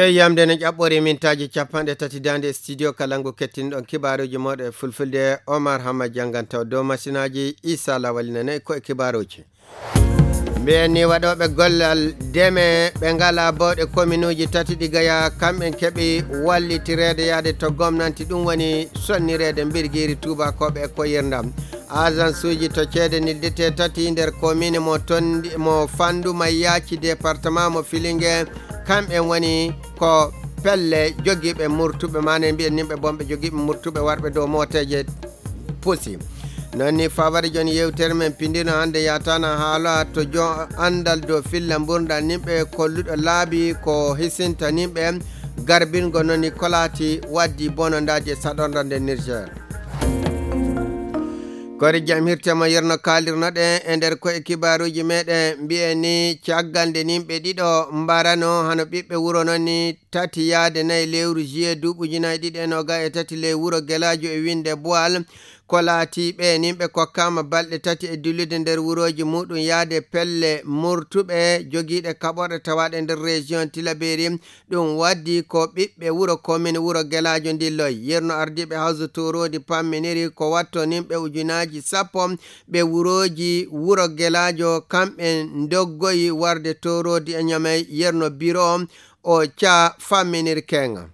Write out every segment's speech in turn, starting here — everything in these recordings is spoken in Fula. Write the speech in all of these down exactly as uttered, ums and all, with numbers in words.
Yamde no ƴaɓɓori mintaaji capanɗe tati daande studio kala ngu kettinɗon kibaaruuji mooɗon e fulfulde. Omar Hamma jannganto dow masinaaji Isa Lawal nane ko e kibaaruuji. Mbiyen ni waɗooɓe gollal deme ɓe ngala bawɗe kominuuji tati ɗi gaya kamɓen keɓi wallitireede yaade to gomnanti ɗum woni sonnireede mbirgiiri tuubakooɓe e koyirndam. Agensuuji to ceede nildete tati nder komine mo tondi mo fandu ma yaaci département mo filinge kamɓe woni ko pelle jogiiɓe murtuɓe mane mbiyen nimɓe bonɓe jogiiɓe murtuɓe warɓe dow mooteeje pusi. Non ni fawari joni yewtere men pindino hannde yatana haala to jo anndal dow filla mburdal nimɓe kolluɗo laabi ko hisinta nimɓe garbingo non ni kolaati waddi bonondaaji e saɗorda nder Niger. Kori jam hirte mo yerno kaalirnoɗen e nder koye kibaaruuji meɗen mbiyen ni caggal nde nimɓe ɗiɗo mbarano hano ɓiɓɓe wuro non ni tati yaade nayi lewru juillet duuɓi ujunaaji ɗiɗi e noga e tati ley wuro Gelaajo e winnde Boal. Ko laati ɓe nimɓe kokkaama balɗe tati e dillude nder wurooji muɗum yaade pelle murtuɓe jogiiɗe kaɓorɗe tawaaɗe nder région Tilaberi. Ɗum waddi ko ɓiɓɓe wuro komin wuro Gelaajo ndilloy. Yerno ardiiɓe hawso tooroodi pamminiri ko watto nimɓe ujunaaji sappo ɓe wurooji wuro Gelaajo kamɓe ndoggoyi warde tooroodi e ñamay yerno biro o ca famminir keŋa.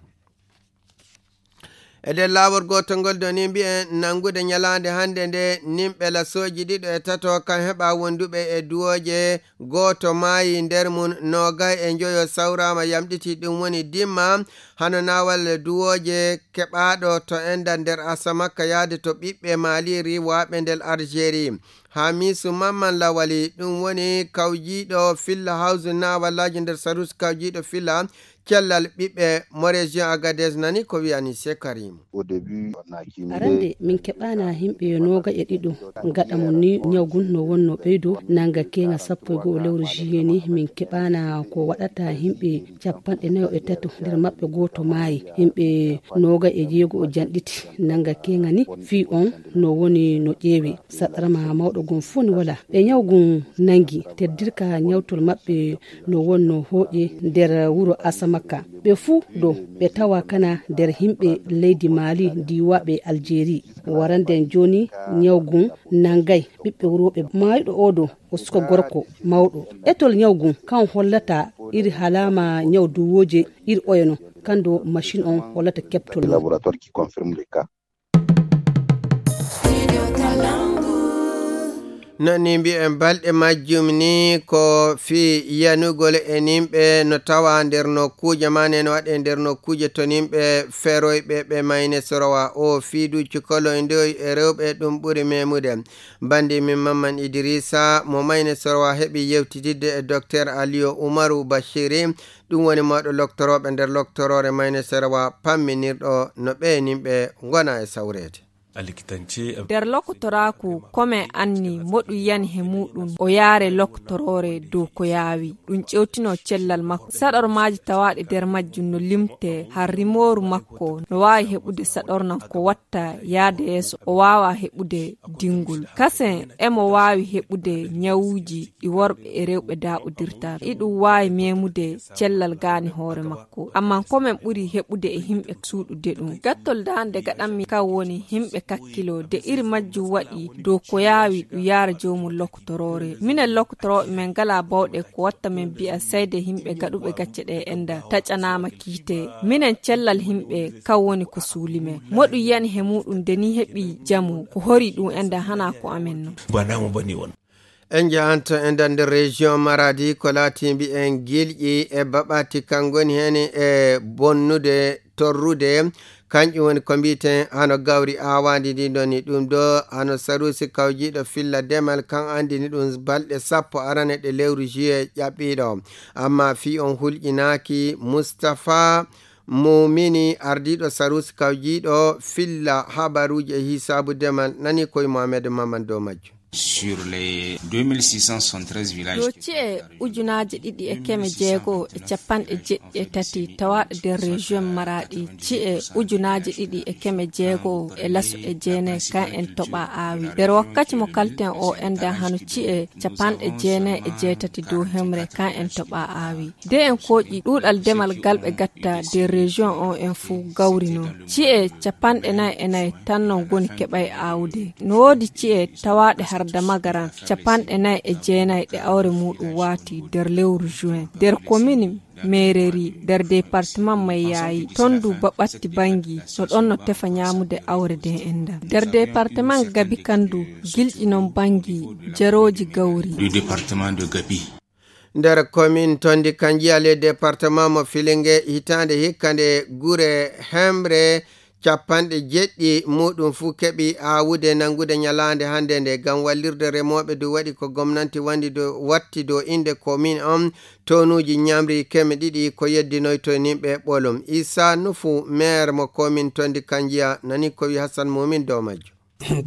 E nder laawol gootol ngol doni mbiyen nanngude ñalaande hannde nde nimɓe lasooji ɗiɗo e tato kan heɓa wonduɓe e duwooje gooto maayi nder mum noogay e njoyo sawraama yamɗiti ɗum woni dimma hano naawal duwooje keɓaaɗo to enda nder asamakka yaade to ɓiɓɓe maali riwaaɓe nder algérie. Hamisu mamman lawali ɗum woni kawjiiɗo filla hawsu naawallaaji nder sarus kawjiiɗo filla cellal ɓiɓɓe mo région agadez nani ko wiyani se karimu. Arande min keɓaana himɓe nooga e ɗiɗo gaɗa mo ni ñawgun no wonno ɓeydo nanga keŋa sappo e go'o lewru juillet ni min keɓaana ko waɗata himɓe capanɗe nayo e tato nder maɓɓe gooto maayi himɓe nooga e jeego o janɗiti nanga keŋa ni fii on no woni no ƴeewi saɗarama mawɗo gun fuu ni wala ɓe ñawgun nangi teddirka ñawtol maɓɓe no wonno hooƴe nder wuro asamaka ɓe fuu ɗo ɓe tawa kana nder himɓe leydi maali diiwaaɓe aljeeri warande jooni ñawgun nangay ɓiɓɓe wurooɓe maayɗo oo ɗo o suka gorko mawɗo etol ñawgun kan hollata iri halaama ñaw duwooje iri oyono kando machin on hollata keɓtol mum. Nani mbiyen balɗe majjum ni ko fii yanugol e nimɓe no tawa nder nokkuuje manen waɗe nder nokkuuje to nimɓe feroyɓe ɓe mayne sorowa o fiidu cukoloyndoy e rewɓe ɗum ɓuri memude. Bandi min mamman idirisa mo mayne sorowa heɓi yewtitidde e docteur aliyo umaru bashiri ɗum woni mawɗo loktorooɓe nder loktoroore mayne sorowa pamminirɗo no ɓe nimɓe ngona e sawreede. Nder lokotoraaku kome anni moɗum yani he muɗum o yaare lokotoroore dow ko yaawi ɗum ƴewtino cellal makko saɗormaaji tawaaɗe nder majjum no limte har rimooru makko no waawi heɓude saɗornan ko watta yaade yeeso o waawa heɓude dingol kasen emo waawi heɓude ñawuuji ɗi worɓe e rewɓe daaɓodirta iɗum waawi memude cellal gaani hoore makko ammaa ko men ɓuri heɓude e himɓe suuɗude ɗum gattol daande gaɗanmi kan woni himɓe kakkilo de iri majjum waɗi dow ko yaawi ɗum yaara joomum lokotoroore minen lokotorooɓe men ngalaa bawɗe ko watta men mbi'a sayde himɓe gaɗuɓe gacce ɗe enda taƴanaama kiite minen cellal himɓe kan woni ko suuli men moɗum yani he muɗum de ni heɓi jamu ko hori ɗum enda hana ko amen non. En njahanto e nder nder région Maradi ko laati mbiyen gilƴi e baɓati kan ngoni heen e bonnude torrude kanƴum woni ko mbiyeten hano gawri aawandi ndi ɗon ni ɗum ɗo hano sarusi kawjiiɗo filla demal kan andini ɗum balɗe sappo arane ɗe lewru juillet ƴaɓɓiiɗo amma fii on hulƴinaaki Mustapha Mumini ardiiɗo sarusi kawjiiɗo filla habaruuji e hisaabu demal nani koye Mohamed Maman dow majjum. Sur les deux mille six cent soixante-treize villages. Ɗo ci'e ujunaaji ɗiɗi e keme jeego e capanɗe jeɗɗi e tati tawaaɗe nder région Maraɗi, ci'e ujunaaji ɗiɗi e keme jeego e laso e jeenay kan en toɓa aawi. Nder wakkati mo kalten o enɗan hano ci'e capanɗe jeenay e jeetati dow hemre kan en toɓa aawi. De en kooƴi ɗuuɗal demal gal ɓe gatta nder région o en fuu gawri non. Ci'e capanɗe nay e nay tan non ngoni keɓay aawude. No woodi ci'e tawaaɗe harda magaran capanɗe nay e jeenay ɗe awre muuɗum waati nder lewru juin. Nder komini Meereri, nder departement Mayayi, ton du baɓatti bangi, no ɗon no tefa ñaamude awre de enɗan. Nder departement Gabi kan du, gilɗi non bangi, jarooji gawri. Du département de Gabi. Nder komin Tondi Kanjiya le département mo Filinge, hitaande hikka nde gure hemre capanɗe jeɗɗi muuɗum fuu keɓi aawude nanngude ñalaande hannde nde, ngam wallirde remooɓe du waɗi ko gomnanti wandi do watti do innde komin on tonuuji ñamri keme ɗiɗi ko yeddinoyto nimɓe ɓolum. Isa Nufu, maire mo komin Tondi Kanjiya, nani ko wi Hassan Mumin dow majjo.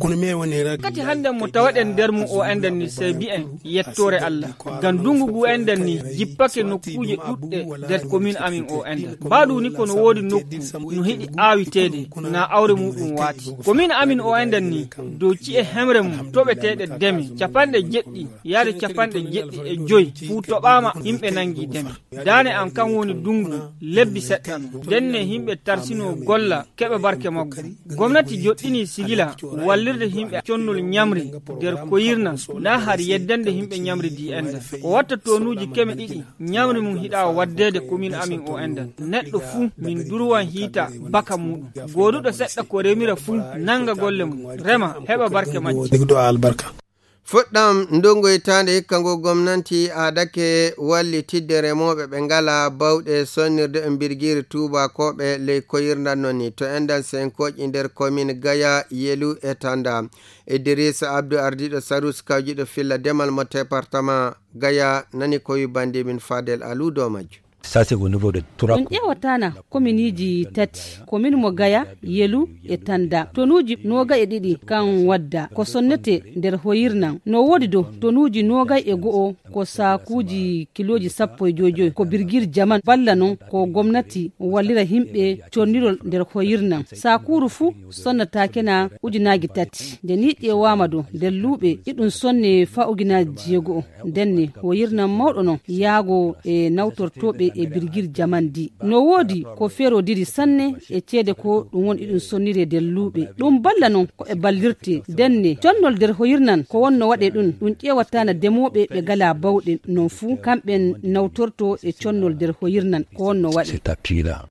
Kono mi woni rag- Kati hannde mo tawaɗen nder mum o enɗan ni, sey mbi'en yettoore Allah. Ngam ndungu ngu enɗan ni jippake nokkuuje ɗuɗɗe nder komin amin o enɗan. Mbaɗu ni kono woodi nokku no hiɗi aawiteede, na awre muɗum waati. Komin amin o enɗan ni, dow ci'e hemre mum toɓeteeɗe deme, capanɗe jeɗɗi yaade capanɗe jeɗɗi e joy fuu toɓaama, yimɓe nangi deme. Daane am kan woni dungu lebbi seɗɗa no. Ndenne yimɓe tarsino golla keɓa barke maggu. Gomnati joɗɗini sigila wallirde yimɓe connol ñamri nder koyirna, na har yeddande yimɓe ñamri di enɗan. O watta tonuuji keme ɗiɗi ñamri mum hiɗa waddeede komin amin o enɗan. Neɗɗo fuu min durwan hiita baka muɗum. Gooduɗo seɗɗa ko remira fuu nanga golle mum, rema, heɓa barke majji. Degdo albarka. Fuɗɗam ndungu hitaande hikka ngu gomnanti aadake wallitidde remooɓe ɓe ngala bawɗe sonnirde e mbirgiiri tuubakooɓe ley koyirndan non ni. To enɗan senkooƴi nder komin Gaya, Yelu e Tanda. Idrissa Abdou ardiiɗo Sarus kawjiɗo filla demal mo département Gaya nani ko wi bandimin Fadel Alou dow majjo. Ça, c'est au niveau de trois. On ƴeewataana kominiiji tati, komin mo Gaya, Yelu e Tanda. Tonuuji nooga e ɗiɗi kan wadda ko sonnete nder hoyirnan. No woodi do tonuuji nooga e go'o ko saakuuji kilooji sappo e joy joy. Ko birgir jaman balla non ko gomnati wallira yimɓe connirol nder hoyirnan. Saakuuru fuu sonnataake na ujunaaji tati. Nde ni ƴeewaama do nder luuɓe iɗum sonne faa ujunaaji jeego'o. Ndenne, hoyirnan mawɗo non yaago e nawtortooɓe e birgir jaman di. No woodi ko feerodiri sanne e ceede ko ɗum woni iɗum sonnire nder luuɓe. Ɗum balla non ko ɓe ballirte. Ndenne, connol nder hoyirnan ko wonno waɗe ɗum, ɗum ƴeewataana demooɓe ɓe gala bawɗe non fuu, kamɓen nawtorto e connol nder hoyirnan ko wonno waɗe. C'est à Pira.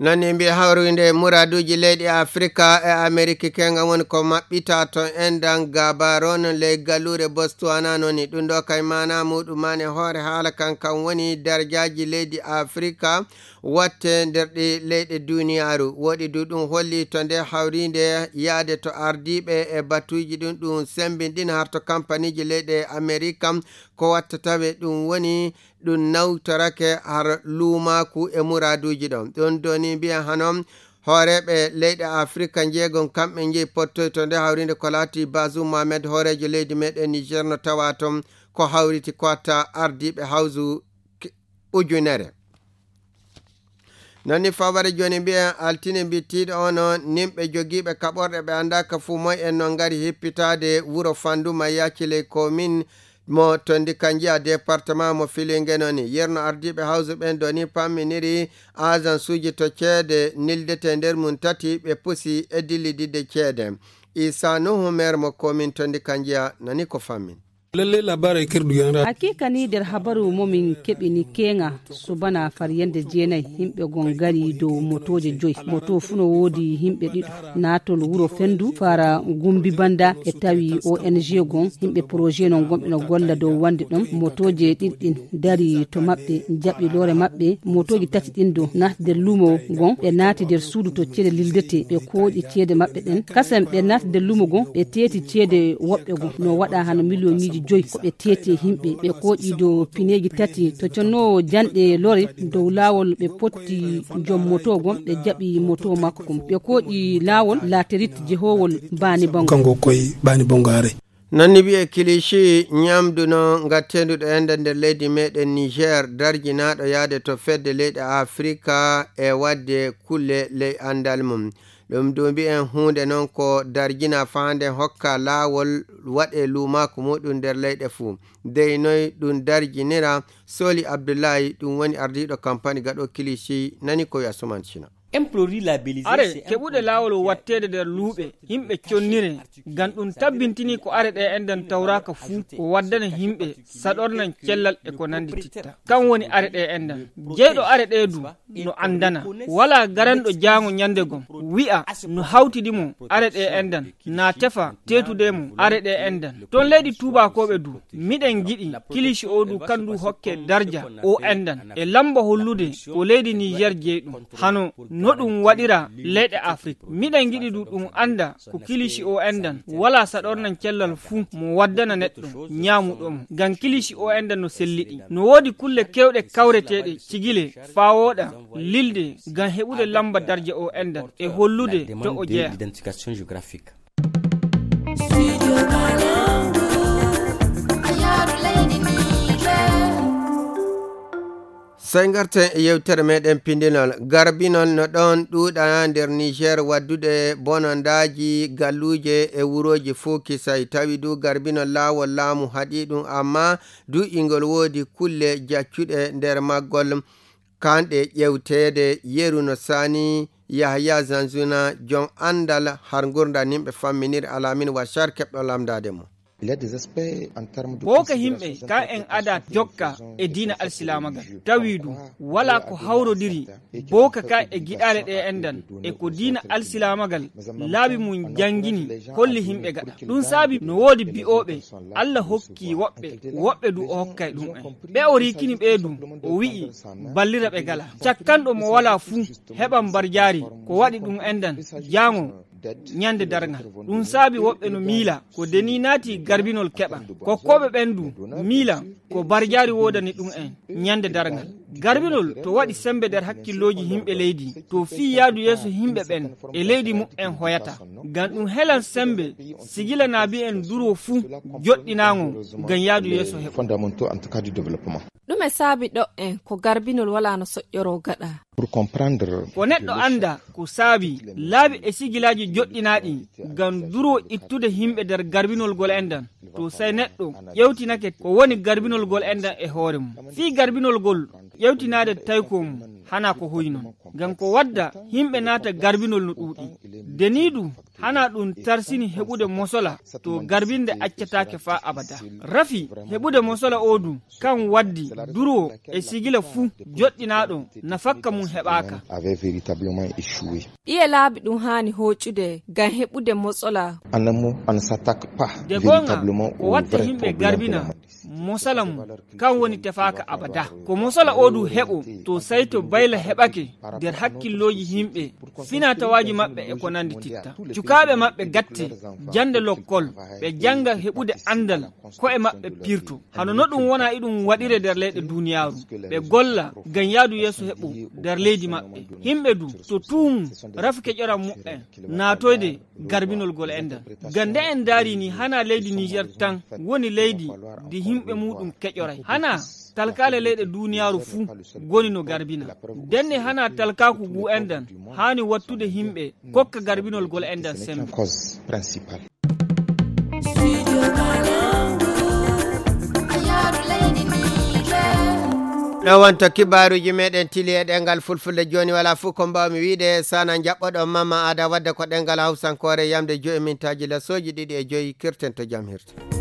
Nani mbi hawrinde muraduuji leyɗe Afrika e Ameriki kenga woni ko maɓɓita to enɗan gabaron ley galluure Botswana non ni. Ɗum ɗo kay maana muɗum mani hoore haala kan kan woni darjaaji leydi Afrika watte nder ɗi leyɗe duniyaaru. Woɗi du ɗum holli to nde hawrinde yaade to ardiiɓe e batuuji ɗum ɗum sembinɗin har to kampaniiji leyɗe Amerika ko watta tawe ɗum woni ɗum nawtorake har luumaaku e muraaduuji ɗon. Ɗum ɗo ni mbiya hano hooreeɓe leyɗe Afrika njeegon kamɓe njeyi pottoy to nde hawrinde ko laati Bazoum Mohamed hooreejo leydi meɗen Niger no tawa toon ko hawriti ko watta ardiiɓe hawsu ujunere. Nani faware jooni mbiyen altine mbittiiɗo ono nimɓe jogiiɓe kaɓorɗe ɓe anndaaka fuu moy en no ngari hippitaade wuro Fanduma yacci ley komin mo Tondi Kanjiya département mo Filinge noni. Yerno ardiiɓe hawsu ɓen doni pamminiri agensuuji to ceede nildete nder mum tati ɓe pusi e dillididde ceede. Isa Nuhu maire mo komin Tondi Kanjiya nani ko fammin. Lallai labarai kirdu yanra. Hakika ni nder habaru mo min keɓi ni keŋa subana far yande jeenay himɓe gon ngari dow motooje joy. Moto fuu no woodi himɓe ɗiɗo. Naatol wuro Fendu fara Gumbi Banda e tawi O N G gon himɓe projet non gonɓe no golla dow wande ɗon. Motooje ɗiɗi ɗin dari to maɓɓe, jaɓi loore maɓɓe. Motooji tati ɗin do naati nder lumo gon, ɓe naati nder suudu to ceede lildete, ɓe kooƴi ceede maɓɓe ɗen. Kasen ɓe naati nder lumo gon, ɓe teeti ceede woɓɓe gon. No waɗa hano miliyoŋiiji Joyi ko ɓe teeti e yimɓe, ɓe kooƴi dow pineeji tati to connoowo janɗe lore dow laawol, ɓe potti joom moto gom, ɓe jaɓi moto makko gom, ɓe kooƴi laawol laaterit jehoowol Baani Bango. Kanko koye Baani Bango haray. Nonni wiye kilici ñamdu no ngatteendu ɗo enda nder leydi meɗen Niger, darjinaaɗo yaade to fedde leyɗe Afrika e waɗde kulle ley anndal mum. Ɗum duubi en huunde noon ko darjina faande hokka laawol waɗe luumaaku muɗum nder leyɗe fuu. Dey noy ɗum darjinira? Soli Abdullahi, ɗum woni ardiiɗo kampani gaɗo kilici, nani ko wiya Suman Cina. Are keɓuɗe laawol watteede nder luuɓe, yimɓe connire, ngam ɗum tabbintini ko are ɗe enɗan tawraaka fuu, ko waddana yimɓe saɗornan cellal e ko nanndi titta. Kam woni are ɗe enɗan. Jeyɗo are ɗe du, no anndana. Walaa garanɗo jaango ñande gom, wi'a no hawtidi mo are ɗe enɗan, na tefa teetude mo are ɗe enɗan. Toon leydi tuubaakooɓe du, miɗen ngiɗi kilici o du kan du hokke darja o enɗan. E lamba hollude ko leydi Niger jeyɗum. Hano no ɗum waɗira leyɗe Afrik. Miɗen ngiɗi du ɗum annda ko kilici o enɗan. Walaa saɗornan cellal fuu mo waddana neɗɗo ñaamuɗo mo. Ngam kilici o enɗan no selliɗi. No woodi kulle kewɗe kawreteeɗe cigile faa wooɗa lilde ngam heɓude lamba darja o enɗan e hollude to o jeyaa. Sey ngarten e yewtere meɗen pindinol. Garbinol no ɗon ɗuuɗa nder Niger waddude bonandaaji galluuje e wurooji fuu kisay. Tawi du garbinol laawol laamu haɗi ɗum, amma du ingol woodi kulle jaccuɗe nder maggol. Kanɗe ƴewteede yeru no saani Yahaya Zanzuna, jom anndal har ngurndan yimɓe famminir alamin wa shar keɓɗo lamndaade mo. Booka yimɓe ka en ada jokka e diina alsilaamagal. Tawi du, walaa ko hawrodiri booka ka e giɗaale ɗe enɗan e ko diina alsilaamagal laabi mum janngini holli yimɓe gaɗa. Ɗum saabi no woodi bi'ooɓe Alla hokki woɓɓe, woɓɓe du o hokkay ɗum en. Ɓe o rikini ɓe du, o wi'i ballira ɓe gala. Cakkanɗo mo walaa fuu heɓan barjaari ko waɗi ɗum enɗan jaango ñande darngal. Ɗum saabi woɓɓe no miila ko deni naati garbinol keɓan. Kokkooɓe ɓen du miila ko barjaari woodani ɗum en ñande darngal. Garbinol to waɗi sembe nder hakkillooji yimɓe leydi, to fii yaadu yeeso yimɓe ɓen e leydi muɓɓen hoyata. Ngam ɗum helan sembe sigila naabi en duro fuu joɗɗinaango ngam yaadu yeeso heɓo. Ɗume saabi ɗo en ko garbinol walaa no soƴƴoroo gaɗa? Ko neɗɗo annda ko saabi laabi e sigilaaji joɗɗinaaɗi ngam duro ittude yimɓe nder garbinol gol enɗan. To sey neɗɗo ƴewtinake ko woni garbinol gol enɗan e hoore mum. Fii garbinol gol ƴewtinaade tayko mum hana ko hoyi non. Ngam ko wadda yimɓe naata garbinol no ɗuuɗi. Deni du hana ɗum tarsini heɓude mosola to garbinde accataake faa abada. Rafi heɓude mosola o du kan waddi duro e sigila fuu joɗɗinaaɗo na fakka mum heɓaaka. Ɗiye laabi ɗum haani hooƴude ngam heɓude mosola? De goonga ko watta yimɓe garbina mosola mum kan woni tefaaka abada. Ko mosola o du heɓo to sayto bayla heɓake nder hakkillooji yimɓe, finatawaaji maɓɓe e ko nanndi titta. Cukaaɓe maɓɓe gatte jannde lokkol, ɓe jannga heɓude anndal ko'e maɓɓe pirto. Hano no ɗum wona iɗum waɗire nder leyɗe duuniyaaru, ɓe golla ngam yaadu yeeso heɓo nder leydi maɓɓe. Yimɓe du to tuumu rafi keƴoran muɓɓen naatoyde garbinol gol enɗan. Ngam nde en ndaari ni hana leydi Niger tan woni leydi ndi yimɓe muɗum keƴoray. Hana talkaale leyɗe duuniyaaru fuu ngoni no garbina. Ndenne hana talkaaku ngu enɗan haani wattude yimɓe kokka garbinol gol enɗan sembe. Ɗo wonto kibaaruuji meɗen tili e ɗengal fulfulde. Jooni walaa fuu ko mbaawmi wiide, sana njaɓɓoɗon Mama Ada wadde ko ɗengal hawsankoore yamde joyi mintaaji lasooji ɗiɗi e joyi. Kirten to jam hirta.